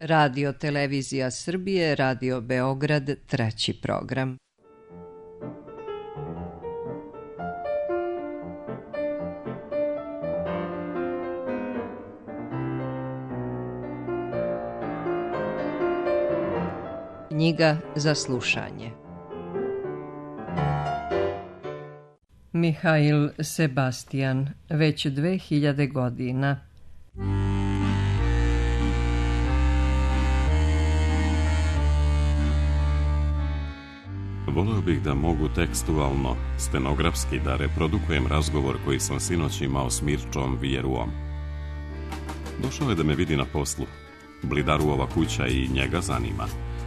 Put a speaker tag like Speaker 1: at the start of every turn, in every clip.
Speaker 1: Radio Televizija Srbije, Radio Beograd, 3. program. Knjiga za slušanje. Mihail Sebastian, već 2000 godina.
Speaker 2: Voleo bih da mogu tekstualno, stenografski da reprodukujem razgovor koji sam sinoć imao s Mirčom Vjeruom. Došao je da me vidi na poslu. Blidaruova kuća i njega zanima.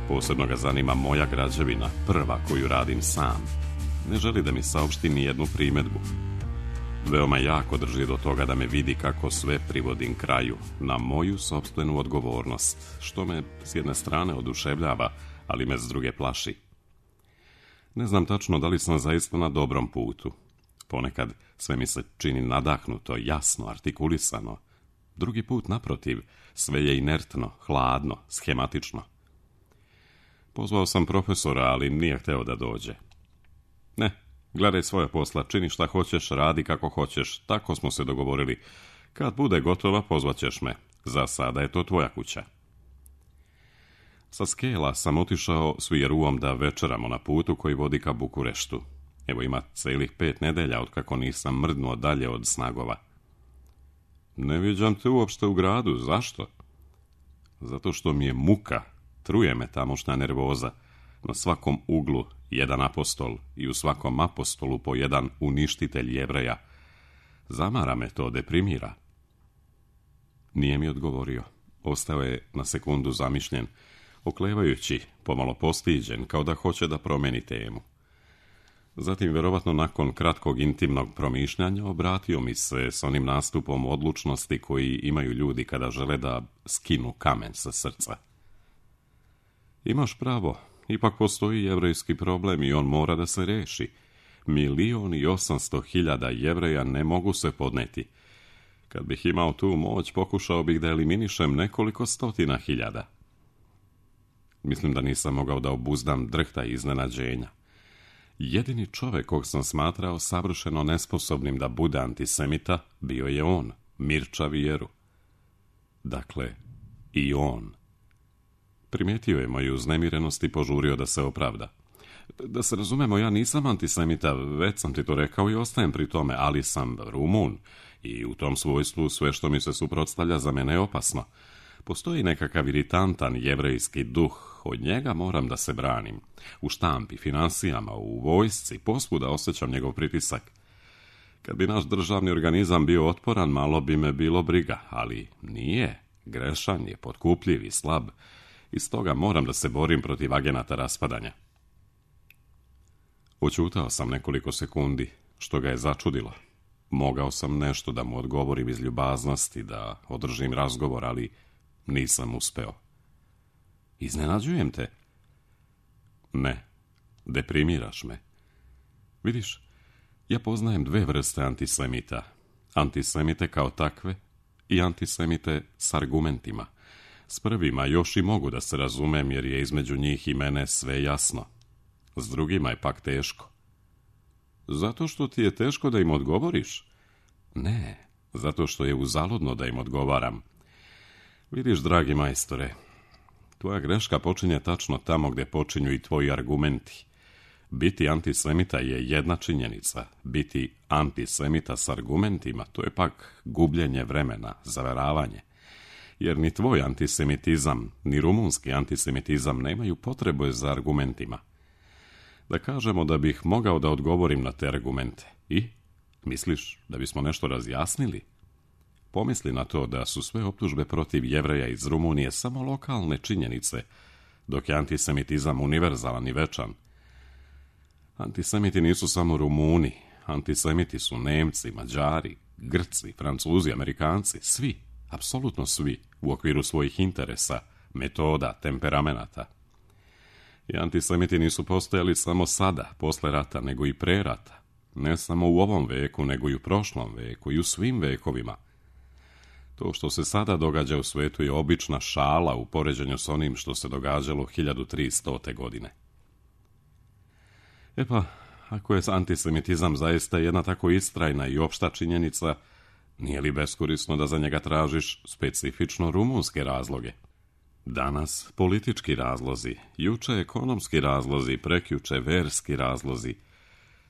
Speaker 2: Posebno ga zanima moja građevina, prva koju radim sam. Ne želi da mi saopšti ni jednu primedbu. Veoma jako drži do toga da me vidi kako sve privodim kraju, na moju sopstvenu odgovornost, što me s jedne strane oduševljava, ali me s druge plaši. Ne znam tačno da li sam zaista na dobrom putu. Ponekad sve mi se čini nadahnuto, jasno, artikulisano. Drugi put, naprotiv, sve je inertno, hladno, schematično. Pozvao sam profesora, ali nije hteo da dođe. Ne, gledaj svoje posla, čini šta hoćeš, radi kako hoćeš, tako smo se dogovorili. Kad bude gotova, pozvaćeš me. Za sada je to tvoja kuća. Sa Skela sam otišao s Vjeruom da večeramo na putu koji vodi ka Bukureštu. Evo ima celih 5 nedelja otkako nisam mrdnuo dalje od Snagova. Ne viđam te uopšte u gradu, zašto? Zato što mi je muka, truje me tamošnja nervoza. Na svakom uglu jedan apostol i u svakom apostolu po jedan uništitelj Jevreja. Zamara me to, deprimira. Nije mi odgovorio. Ostao je na sekundu zamišljen, oklevajući, pomalo postiđen, kao da hoće da promeni temu. Zatim, verovatno nakon kratkog intimnog promišljanja, obratio mi se s onim nastupom odlučnosti koji imaju ljudi kada žele da skinu kamen sa srca. Imaš pravo, ipak postoji jevrejski problem i on mora da se reši. 1.800.000 Jevreja ne mogu se podneti. Kad bih imao tu moć, pokušao bih da eliminišem nekoliko stotina hiljada. Mislim da nisam mogao da obuzdam drhta i iznenađenja. Jedini čovek kog sam smatrao savršeno nesposobnim da bude antisemita bio je on, Mirča Vjeru. Dakle, i on. Primijetio je moju uznemirenost i požurio da se opravda. Da se razumemo, ja nisam antisemita, već sam ti to rekao i ostajem pri tome, ali sam Rumun i u tom svojstvu sve što mi se suprotstavlja za mene je opasno. Postoji nekakav iritantan jevrejski duh, od njega moram da se branim. U štampi, finansijama, u vojsci, posvuda osjećam njegov pritisak. Kad bi naš državni organizam bio otporan, malo bi me bilo briga, ali nije. Grešan je, potkupljiv i slab. I stoga moram da se borim protiv agenata raspadanja. Oćutao sam nekoliko sekundi, što ga je začudilo. Mogao sam nešto da mu odgovorim iz ljubaznosti, da održim razgovor, ali nisam uspeo. Iznenađujem te? Ne, deprimiraš me. Vidiš, ja poznajem 2 vrste antisemita. Antisemite kao takve i antisemite s argumentima. S prvima još i mogu da se razumem jer je između njih i mene sve jasno. S drugima je pak teško. Zato što ti je teško da im odgovoriš? Ne, zato što je uzaludno da im odgovaram. Vidiš, dragi majstore, tvoja greška počinje tačno tamo gdje počinju i tvoji argumenti. Biti antisemita je jedna činjenica. Biti antisemita s argumentima, to je pak gubljenje vremena, zaveravanje. Jer ni tvoj antisemitizam, ni rumunski antisemitizam nemaju potrebe za argumentima. Da kažemo da bih mogao da odgovorim na te argumente. I? Misliš da bismo nešto razjasnili? Pomisli na to da su sve optužbe protiv Jevreja iz Rumunije samo lokalne činjenice, dok je antisemitizam univerzalan i večan. Antisemiti nisu samo Rumuni, antisemiti su Nemci, Mađari, Grci, Francuzi, Amerikanci, svi, apsolutno svi, u okviru svojih interesa, metoda, temperamenata. I antisemiti nisu postojali samo sada, posle rata, nego i pre rata. Ne samo u ovom veku, nego i u prošlom veku i u svim vekovima. To što se sada događa u svetu je obična šala u poređenju s onim što se događalo 1300. godine. E pa, ako je antisemitizam zaista jedna tako istrajna i opšta činjenica, nije li beskorisno da za njega tražiš specifično rumunske razloge? Danas politički razlozi, juče ekonomski razlozi, prekjuče verski razlozi.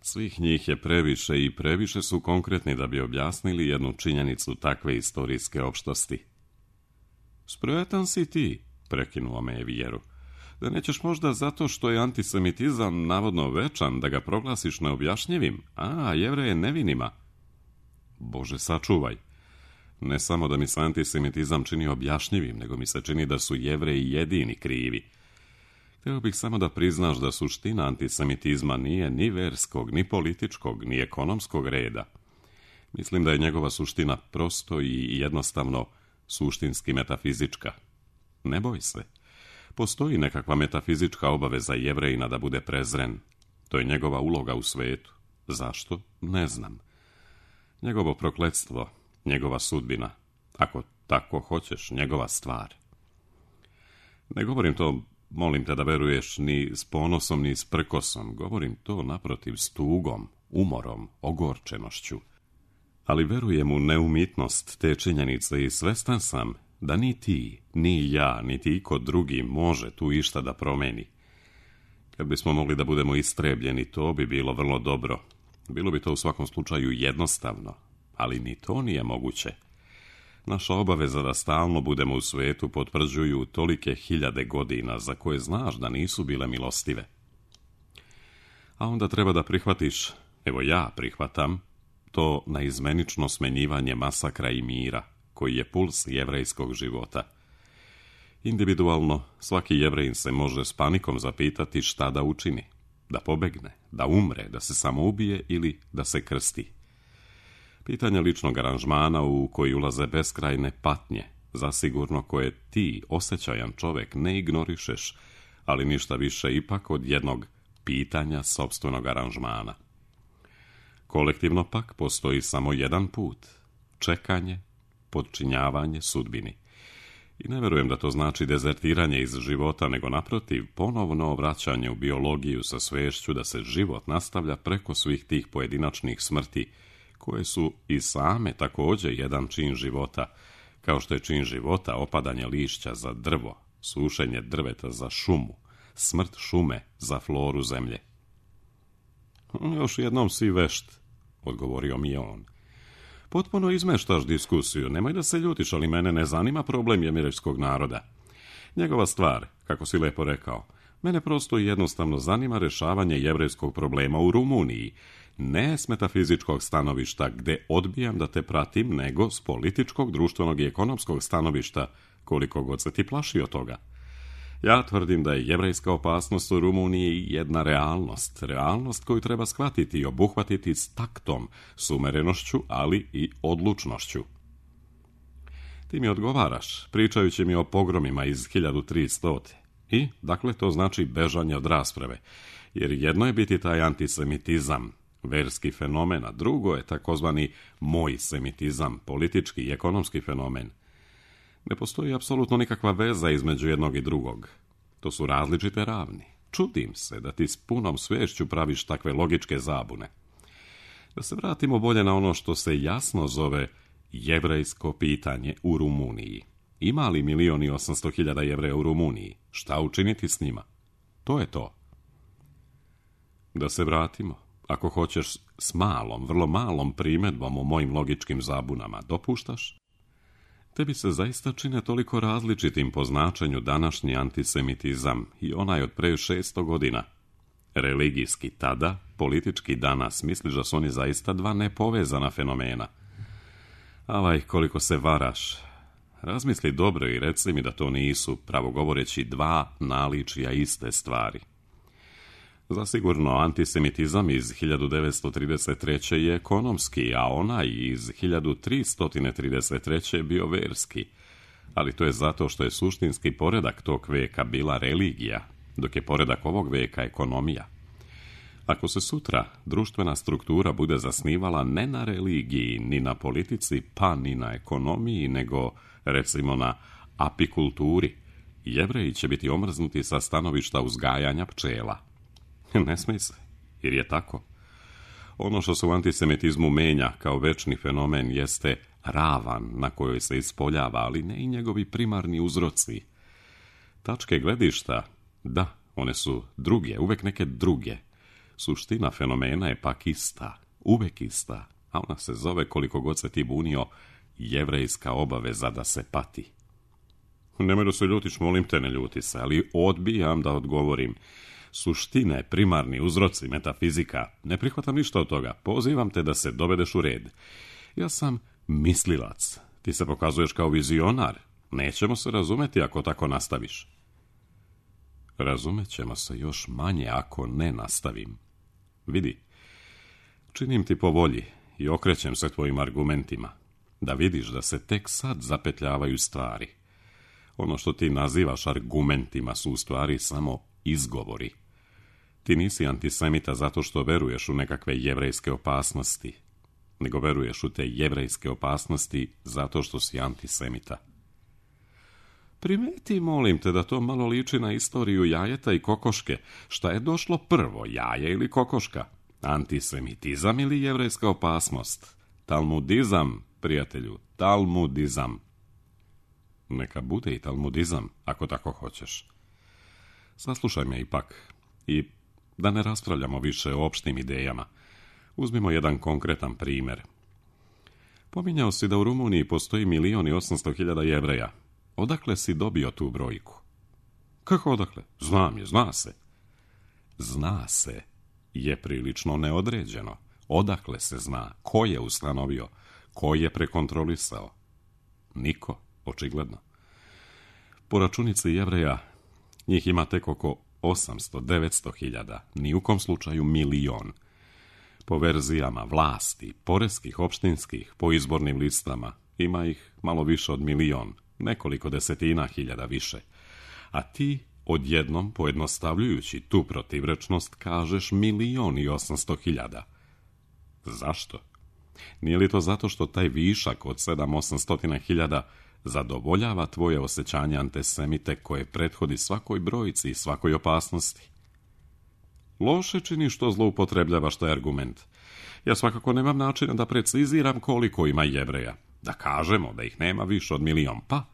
Speaker 2: Svih njih je previše i previše su konkretni da bi objasnili jednu činjenicu takve istorijske opštosti. Spretan si ti, prekinuo me je Vjeru. Da nećeš možda zato što je antisemitizam navodno večan, da ga proglasiš neobjašnjivim, a Jevreje nevinima. Bože, sačuvaj. Ne samo da mi se antisemitizam čini objašnjivim, nego mi se čini da su Jevreji jedini krivi. Htio bih samo da priznaš da suština antisemitizma nije ni verskog, ni političkog, ni ekonomskog reda. Mislim da je njegova suština prosto i jednostavno suštinski metafizička. Ne boj se. Postoji nekakva metafizička obaveza Jevrejina da bude prezren. To je njegova uloga u svetu. Zašto? Ne znam. Njegovo prokletstvo, njegova sudbina, ako tako hoćeš, njegova stvar. Ne govorim to, molim te da veruješ, ni s ponosom, ni s prkosom. Govorim to naprotiv s tugom, umorom, ogorčenošću. Ali verujem u neumitnost te činjenice i svestan sam da ni ti, ni ja, niti iko drugi može tu išta da promeni. Kad bismo mogli da budemo istrebljeni, to bi bilo vrlo dobro. Bilo bi to u svakom slučaju jednostavno, ali ni to nije moguće. Naša obaveza da stalno budemo u svetu potvrđuju tolike hiljade godina za koje znaš da nisu bile milostive. A onda treba da prihvatiš, evo ja prihvatam, to naizmenično smenjivanje masakra i mira, koji je puls jevrejskog života. Individualno, svaki Jevrejin se može s panikom zapitati šta da učini, da pobegne, da umre, da se samoubije ili da se krsti. Pitanje ličnog aranžmana u koji ulaze beskrajne patnje, zasigurno koje ti, osjećajan čovek, ne ignorišeš, ali ništa više ipak od jednog pitanja sopstvenog aranžmana. Kolektivno pak postoji samo jedan put, čekanje, podčinjavanje sudbini. I ne verujem da to znači dezertiranje iz života, nego naprotiv, ponovno vraćanje u biologiju sa svešću da se život nastavlja preko svih tih pojedinačnih smrti, koje su i same također jedan čin života, kao što je čin života opadanje lišća za drvo, sušenje drveta za šumu, smrt šume za floru zemlje. Još jednom si vešt, odgovorio mi je on. Potpuno izmeštaš diskusiju, nemoj da se ljutiš, ali mene ne zanima problem jevrejskog naroda. Njegova stvar, kako si lepo rekao, mene prosto i jednostavno zanima rešavanje jevrejskog problema u Rumuniji, ne s metafizičkog stanovišta gde odbijam da te pratim, nego s političkog, društvenog i ekonomskog stanovišta, koliko god se ti plaši od toga. Ja tvrdim da je jevrejska opasnost u Rumuniji jedna realnost koju treba shvatiti i obuhvatiti s taktom, s umerenošću, ali i odlučnošću. Ti mi odgovaraš, pričajući mi o pogromima iz 1300. I, dakle, to znači bežanje od rasprave, jer jedno je biti taj antisemitizam, verski fenomen, a drugo je takozvani moj semitizam, politički i ekonomski fenomen. Ne postoji apsolutno nikakva veza između jednog i drugog. To su različite ravni. Čudim se da ti s punom svešću praviš takve logičke zabune. Da se vratimo bolje na ono što se jasno zove jevrejsko pitanje u Rumuniji. Ima li 1.800.000 Jevreja u Rumuniji? Šta učiniti s njima? To je to. Da se vratimo, ako hoćeš, s malom, vrlo malom primjedbom o mojim logičkim zabunama, dopuštaš? Tebi se zaista čine toliko različitim po značenju današnji antisemitizam i onaj od pre 600 godina. Religijski tada, politički danas, misliš da su oni zaista dva nepovezana fenomena. Avaj, koliko se varaš. Razmisli dobro i reci mi da to nisu, pravo govoreći, dva naličja iste stvari. Zasigurno, antisemitizam iz 1933. je ekonomski, a onaj iz 1333. je bio verski. Ali to je zato što je suštinski poredak tog veka bila religija, dok je poredak ovog veka ekonomija. Ako se sutra društvena struktura bude zasnivala ne na religiji, ni na politici, pa ni na ekonomiji, nego, recimo, na apikulturi, Jevreji će biti omrznuti sa stanovišta uzgajanja pčela. Ne smije se, jer je tako. Ono što se u antisemitizmu menja kao večni fenomen jeste ravan na kojoj se ispoljava, ali ne i njegovi primarni uzroci. Tačke gledišta, da, one su druge, uvek neke druge. Suština fenomena je pak ista, uvek ista, a ona se zove, koliko god se ti bunio, jevrejska obaveza da se pati. Nemoj da se ljutiš, molim te, ne ljuti se, ali odbijam da odgovorim. Suštine, primarni uzroci, metafizika, ne prihvatam ništa od toga. Pozivam te da se dovedeš u red. Ja sam mislilac. Ti se pokazuješ kao vizionar. Nećemo se razumeti ako tako nastaviš. Razumet ćemo se još manje ako ne nastavim. Vidi, činim ti po volji i okrećem se tvojim argumentima. Da vidiš da se tek sad zapetljavaju stvari. Ono što ti nazivaš argumentima su u stvari samo izgovori. Ti nisi antisemita zato što veruješ u nekakve jevrejske opasnosti, nego veruješ u te jevrejske opasnosti zato što si antisemita. Primeti, molim te, da to malo liči na istoriju jajeta i kokoške. Šta je došlo prvo, jaje ili kokoška? Antisemitizam ili jevrejska opasnost? Talmudizam, prijatelju, talmudizam. Neka bude i talmudizam, ako tako hoćeš. Saslušaj me ipak i da ne raspravljamo više o opštim idejama. Uzmimo jedan konkretan primjer. Pominjao si da u Rumuniji postoji 1.800.000 Jevreja. Odakle si dobio tu brojku? Kako odakle? Znam je, zna se. Zna se je prilično neodređeno. Odakle se zna? Ko je ustanovio? Ko je prekontrolisao? Niko, očigledno. Po računici Jevreja njih ima tek oko 800-900.000, ni u kom slučaju 1.000.000. Po verzijama vlasti, poreskih, opštinskih, po izbornim listama, ima ih malo više od 1.000.000, nekoliko desetina hiljada više. A ti, odjednom, pojednostavljujući tu protivrečnost, kažeš 1.800.000. Zašto? Nije li to zato što taj višak od 700-800.000 zadovoljava tvoje osjećanje antisemite koje prethodi svakoj brojci i svakoj opasnosti? Loše čini što zloupotrebljavaš taj argument. Ja svakako nemam načina da preciziram koliko ima Jevreja. Da kažemo da ih nema više od 1.000.000, pa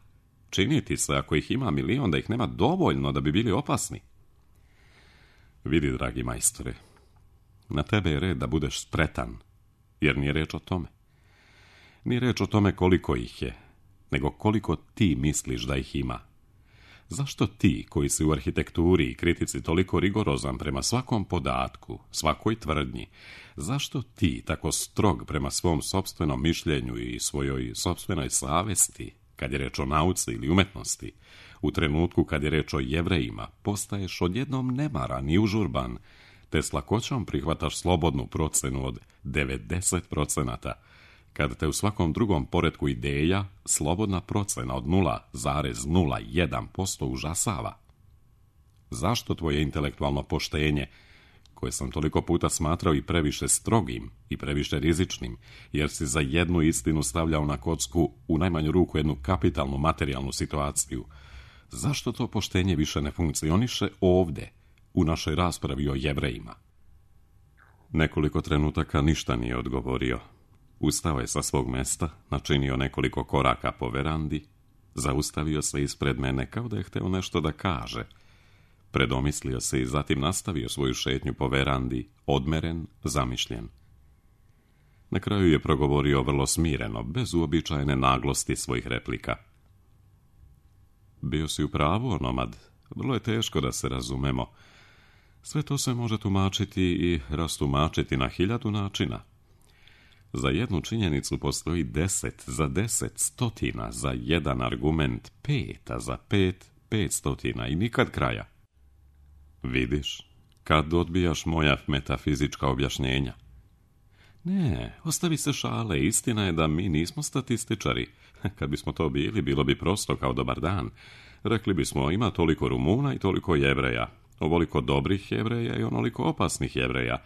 Speaker 2: čini ti se ako ih ima 1.000.000 da ih nema dovoljno da bi bili opasni. Vidi, dragi majstore, na tebe je red da budeš spretan, jer nije reč o tome. Nije reč o tome koliko ih je, nego koliko ti misliš da ih ima. Zašto ti, koji si u arhitekturi i kritici toliko rigorozan prema svakom podatku, svakoj tvrdnji, zašto ti tako strog prema svom sopstvenom mišljenju i svojoj sopstvenoj savesti, kad je reč o nauci ili umetnosti, u trenutku kad je reč o Jevrejima, postaješ odjednom nemaran i užurban, te s lakoćom prihvataš slobodnu procenu od 90%, kad te u svakom drugom poretku ideja slobodna procena od 0,01% užasava? Zašto tvoje intelektualno poštenje, koje sam toliko puta smatrao i previše strogim i previše rizičnim, jer si za jednu istinu stavljao na kocku u najmanju ruku jednu kapitalnu materijalnu situaciju, zašto to poštenje više ne funkcioniše ovde, u našoj raspravi o Jevrejima? Nekoliko trenutaka ništa nije odgovorio. Ustao je sa svog mesta, načinio nekoliko koraka po verandi, zaustavio se ispred mene kao da je hteo nešto da kaže. Predomislio se i zatim nastavio svoju šetnju po verandi, odmeren, zamišljen. Na kraju je progovorio vrlo smireno, bez uobičajene naglosti svojih replika. Bio si u pravu, onomad. Vrlo je teško da se razumemo. Sve to se može tumačiti i rastumačiti na 1000 načina. Za jednu činjenicu postoji 10, za 10 stotina, za jedan argument 5, a za 5 500 i nikad kraja. Vidiš, kad odbijaš moja metafizička objašnjenja? Ne, ostavi se šale, istina je da mi nismo statističari. Kad bismo to bili, bilo bi prosto kao dobar dan. Rekli bismo, ima toliko Rumuna i toliko Jevreja. Ovoliko dobrih Jevreja i onoliko opasnih Jevreja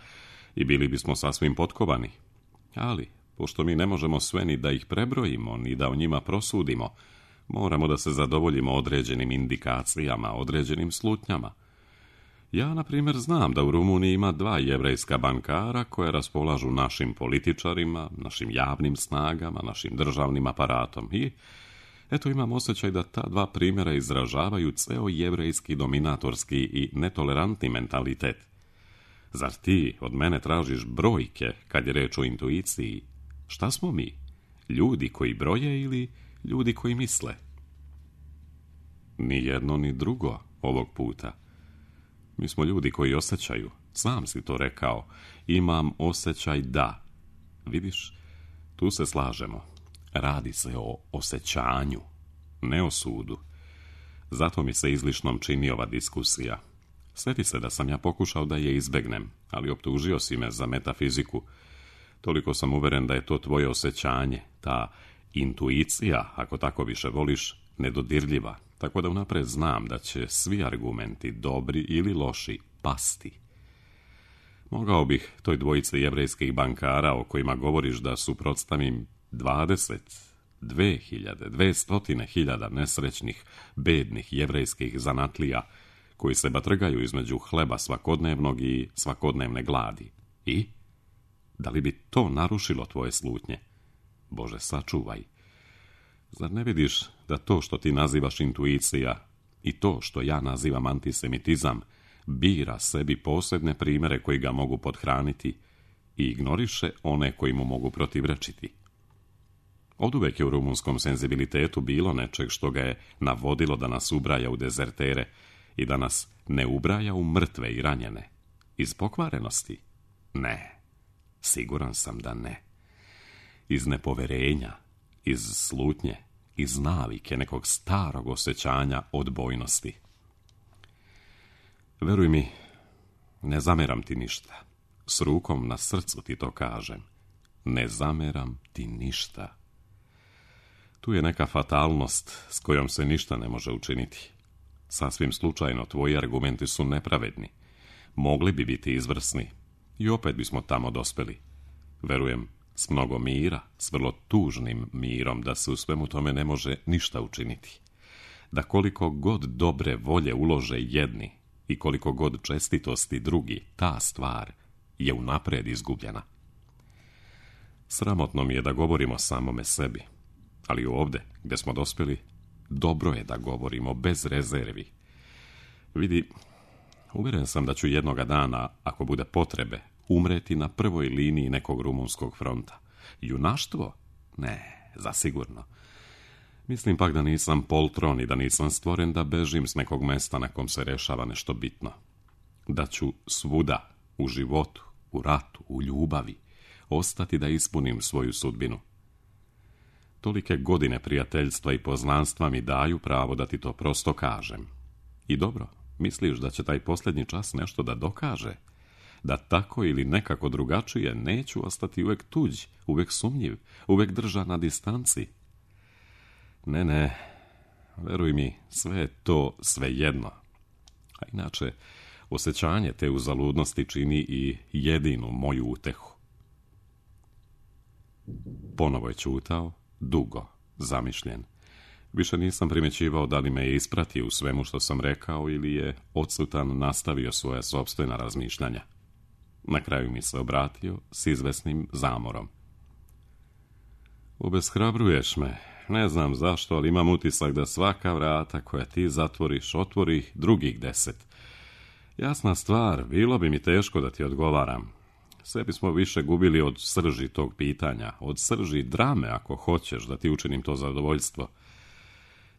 Speaker 2: i bili bismo sasvim potkovani. Ali, pošto mi ne možemo sve ni da ih prebrojimo, ni da o njima prosudimo, moramo da se zadovoljimo određenim indikacijama, određenim slutnjama. Ja, na primjer, znam da u Rumuniji ima 2 jevrejska bankara koje raspolažu našim političarima, našim javnim snagama, našim državnim aparatom i eto imam osjećaj da ta 2 primjera izražavaju ceo jevrejski dominatorski i netolerantni mentalitet. Zar ti od mene tražiš brojke kad je reč o intuiciji? Šta smo mi? Ljudi koji broje ili ljudi koji misle? Ni jedno ni drugo ovog puta. Mi smo ljudi koji osjećaju. Sam si to rekao. Imam osjećaj da. Vidiš, tu se slažemo. Radi se o osjećanju, ne o sudu. Zato mi se izlišnom čini ova diskusija. Sjeti se da sam ja pokušao da je izbegnem, ali optužio si me za metafiziku. Toliko sam uveren da je to tvoje osjećanje, ta intuicija, ako tako više voliš, nedodirljiva, tako da unapred znam da će svi argumenti, dobri ili loši, pasti. Mogao bih toj dvojici jevrejskih bankara o kojima govoriš da suprotstavim 200.000 nesrećnih, bednih jevrejskih zanatlija koji se batrgaju između hleba svakodnevnog i svakodnevne gladi. I? Da li bi to narušilo tvoje slutnje? Bože, sačuvaj. Zar ne vidiš da to što ti nazivaš intuicija i to što ja nazivam antisemitizam bira sebi posebne primjere koji ga mogu pothraniti i ignoriše one koji mu mogu protivrečiti? Oduvek je u rumunskom senzibilitetu bilo nečeg što ga je navodilo da nas ubraja u dezertere i da nas ne ubraja u mrtve i ranjene. Iz pokvarenosti? Ne. Siguran sam da ne. Iz nepoverenja, iz slutnje, iz navike nekog starog osjećanja odbojnosti. Veruj mi, ne zameram ti ništa. S rukom na srcu ti to kažem. Ne zameram ti ništa. Tu je neka fatalnost s kojom se ništa ne može učiniti. Sasvim slučajno tvoji argumenti su nepravedni. Mogli bi biti izvrsni i opet bismo tamo dospeli. Verujem, s mnogo mira, s vrlo tužnim mirom, da se u svemu tome ne može ništa učiniti. Da koliko god dobre volje ulože jedni i koliko god čestitosti drugi, ta stvar je unapred izgubljena. Sramotno mi je da govorimo samome sebi, ali ovdje, gdje smo dospjeli, dobro je da govorimo bez rezervi. Vidi, uvjeren sam da ću jednoga dana, ako bude potrebe, umreti na prvoj liniji nekog rumunskog fronta. Junaštvo? Ne, zasigurno. Mislim pak da nisam poltron i da nisam stvoren da bežim s nekog mesta na kom se rešava nešto bitno. Da ću svuda, u životu, u ratu, u ljubavi, ostati da ispunim svoju sudbinu. Tolike godine prijateljstva i poznanstva mi daju pravo da ti to prosto kažem. I dobro, misliš da će taj posljednji čas nešto da dokaže? Da tako ili nekako drugačije neću ostati uvek tuđ, uvek sumnjiv, uvek držan na distanci? Ne, veruj mi, sve je to svejedno. A inače, osjećanje te uzaludnosti čini i jedinu moju utehu. Ponovo je ćutao, dugo, zamišljen. Više nisam primjećivao da li me je ispratio u svemu što sam rekao ili je odsutan nastavio svoja sopstvena razmišljanja. Na kraju mi se obratio s izvesnim zamorom. Obeshrabruješ me. Ne znam zašto, ali imam utisak da svaka vrata koja ti zatvoriš, otvori drugih 10. Jasna stvar, bilo bi mi teško da ti odgovaram. Sve bismo više gubili od srži tog pitanja, od srži drame, ako hoćeš da ti učinim to zadovoljstvo.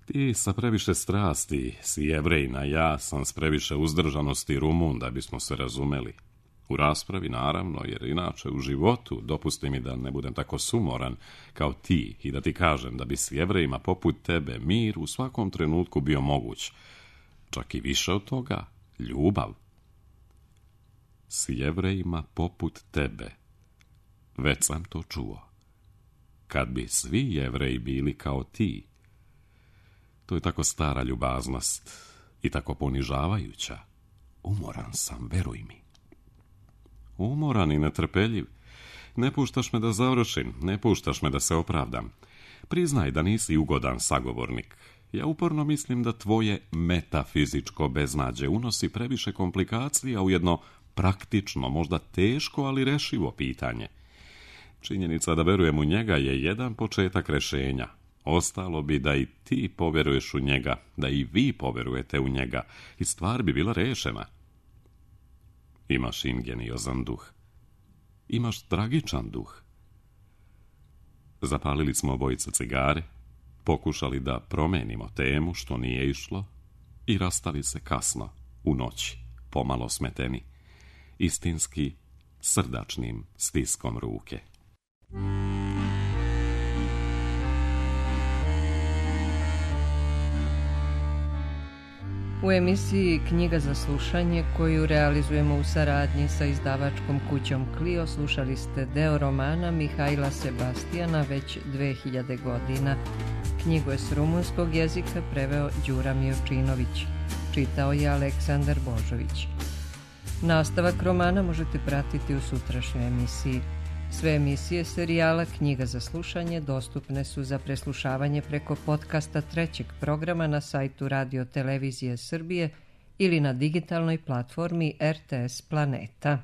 Speaker 2: Ti sa previše strasti si Jevrejna, ja sam s previše uzdržanosti Rumun, da bismo se razumeli. U raspravi, naravno, jer inače u životu dopusti mi da ne budem tako sumoran kao ti i da ti kažem da bi s Jevrejima poput tebe mir u svakom trenutku bio moguć. Čak i više od toga, ljubav. S Jevrejima poput tebe. Već sam to čuo. Kad bi svi Jevreji bili kao ti. To je tako stara ljubaznost i tako ponižavajuća. Umoran sam, veruj mi. Umoran i netrpeljiv. Ne puštaš me da završim, ne puštaš me da se opravdam. Priznaj da nisi ugodan sagovornik. Ja uporno mislim da tvoje metafizičko beznađe unosi previše komplikacija u jedno praktično, možda teško, ali rešivo pitanje. Činjenica da verujem u njega je jedan početak rešenja. Ostalo bi da i ti poveruješ u njega, da i vi poverujete u njega i stvar bi bila rešena. Imaš ingeniozan duh. Imaš tragičan duh. Zapalili smo obojica cigare, pokušali da promenimo temu, što nije išlo, i rastali se kasno, u noć, pomalo smeteni, istinski srdačnim stiskom ruke.
Speaker 1: U emisiji Knjiga za slušanje, koju realizujemo u saradnji sa izdavačkom kućom Clio, slušali ste deo romana Mihajla Sebastijana već 2000 godina. Knjigu je s rumunskog jezika preveo Đura Miočinović. Čitao je Aleksandar Božović. Nastavak romana možete pratiti u sutrašnjoj emisiji. Sve emisije serijala Knjiga za slušanje dostupne su za preslušavanje preko podcasta trećeg programa na sajtu Radio Televizije Srbije ili na digitalnoj platformi RTS Planeta.